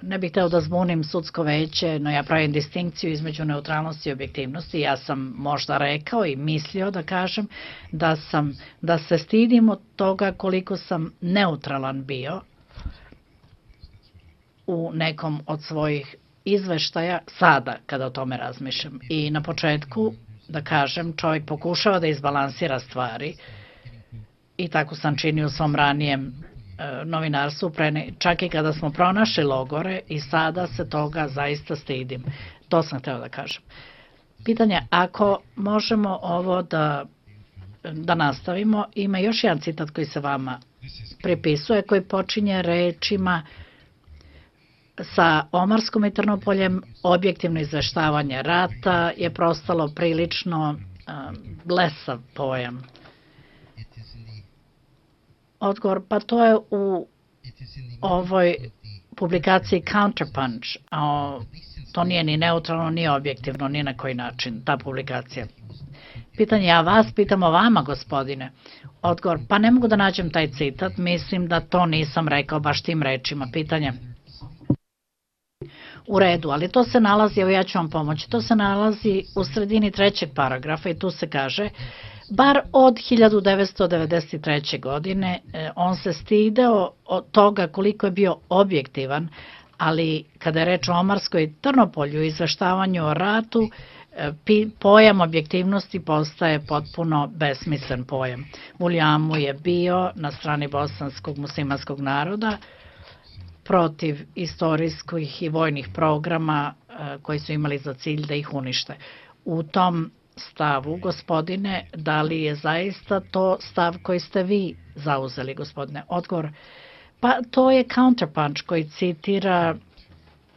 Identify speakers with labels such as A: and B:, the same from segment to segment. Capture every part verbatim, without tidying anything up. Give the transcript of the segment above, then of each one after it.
A: ne bih hteo da zbunim sudsko veće, no ja pravim distinkciju između neutralnosti i objektivnosti. Ja sam možda rekao i mislio da kažem da sam, da se stidim od toga koliko sam neutralan bio u nekom od svojih izveštaja sada kada o tome razmišljam. I na početku, da kažem, čovjek pokušava da izbalansira stvari i tako sam činio u svom ranijem novinarstvu, čak i kada smo pronašli logore i sada se toga zaista stidim. To sam hteo da kažem. Pitanje, ako možemo ovo da, da nastavimo, ima još jedan citat koji se vama pripisuje, koji počinje rečima sa Omarskom i Trnopoljem objektivno izveštavanje rata je prostalo prilično um, blesav pojam. Odgovor, pa to je u ovoj publikaciji Counterpunch, a to nije ni neutralno, ni objektivno, ni na koji način, ta publikacija. Pitanje, ja vas pitam o vama, gospodine. Odgovor, pa ne mogu da nađem taj citat, mislim da to nisam rekao baš tim rečima. Pitanje, u redu, ali to se nalazi, evo ja ću vam pomoći, to se nalazi u sredini trećeg paragrafa i tu se kaže, bar od hiljadu devetsto devedeset treće. godine on se stideo od toga koliko je bio objektivan, ali kada je reč o Omarskoj i Trnopolju i izveštavanju o ratu, pojam objektivnosti postaje potpuno besmislen pojam. Vuljamu je bio na strani bosanskog muslimanskog naroda protiv istorijskih i vojnih programa koji su imali za cilj da ih unište. U tom stavu, gospodine, da li je zaista to stav koji ste vi zauzeli, gospodine? Odgovor, pa to je Counterpunch koji citira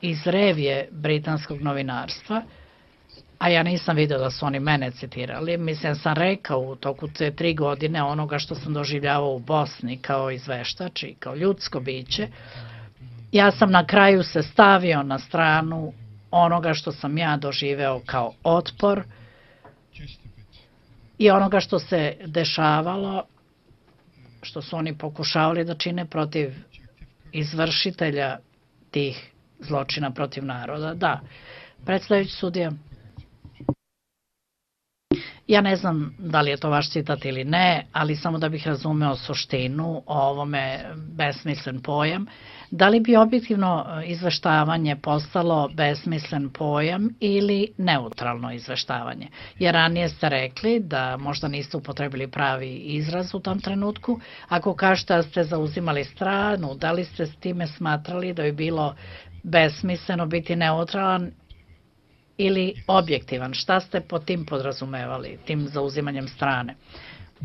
A: iz revije britanskog novinarstva, a ja nisam vidio da su oni mene citirali. Mislim, sam rekao u toku te tri godine onoga što sam doživljavao u Bosni kao izveštač i kao ljudsko biće. Ja sam na kraju se stavio na stranu onoga što sam ja doživeo kao otpor i onoga što se dešavalo, što su oni pokušavali da čine protiv izvršitelja tih zločina protiv naroda. Da, predstavljajući sudija, ja ne znam da li je to vaš citat ili ne, ali samo da bih razumeo suštinu o ovome besmislen pojam. Da li bi objektivno izveštavanje postalo besmislen pojam ili neutralno izveštavanje? Jer ranije ste rekli da možda niste upotrebili pravi izraz u tom trenutku. Ako kažete da ste zauzimali stranu, da li ste s time smatrali da bi bilo besmisleno biti neutralan ili objektivan? Šta ste po tim podrazumevali, tim zauzimanjem strane?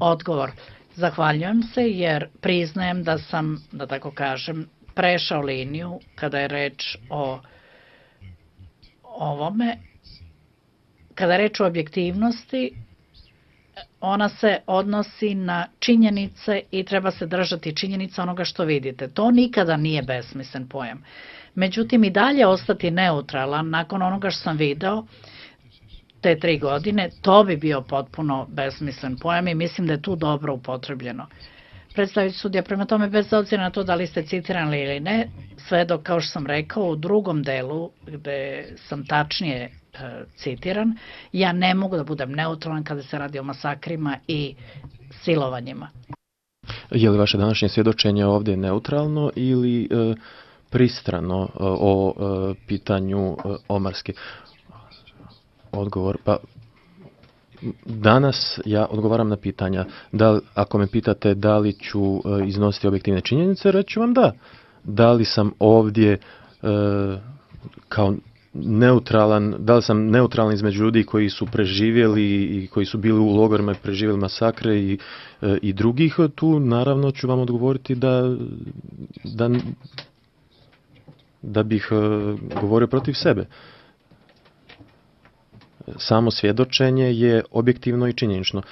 A: Odgovor, zahvaljujem se jer priznajem da sam, da tako kažem, prešao liniju kada je reč o ovome. Kada je reč o objektivnosti, ona se odnosi na činjenice i treba se držati činjenica onoga što vidite. To nikada nije besmislen pojam. Međutim, i dalje ostati neutralan nakon onoga što sam video te tri godine, to bi bio potpuno besmislen pojam i mislim da je tu dobro upotrebljeno. Predstaviti sudija, prema tome, bez obzira na to da li ste citirani ili ne, sve dok, kao što sam rekao, u drugom delu, gde sam tačnije e, citiran, ja ne mogu da budem neutralan kada se radi o masakrima i silovanjima.
B: Je li vaše današnje svjedočenje ovdje neutralno ili e, pristrano e, o e, pitanju e, Omarske? Odgovor, pa danas ja odgovaram na pitanja. Da, ako me pitate da li ću e, iznositi objektivne činjenice, reću vam da. Da li sam ovdje e, kao neutralan, da li sam neutralan između ljudi koji su preživjeli i koji su bili u logorima i preživjeli masakre i, e, i drugih, tu naravno ću vam odgovoriti da, da, da bih e, govorio protiv sebe. Samo svjedočenje je objektivno i činjenično.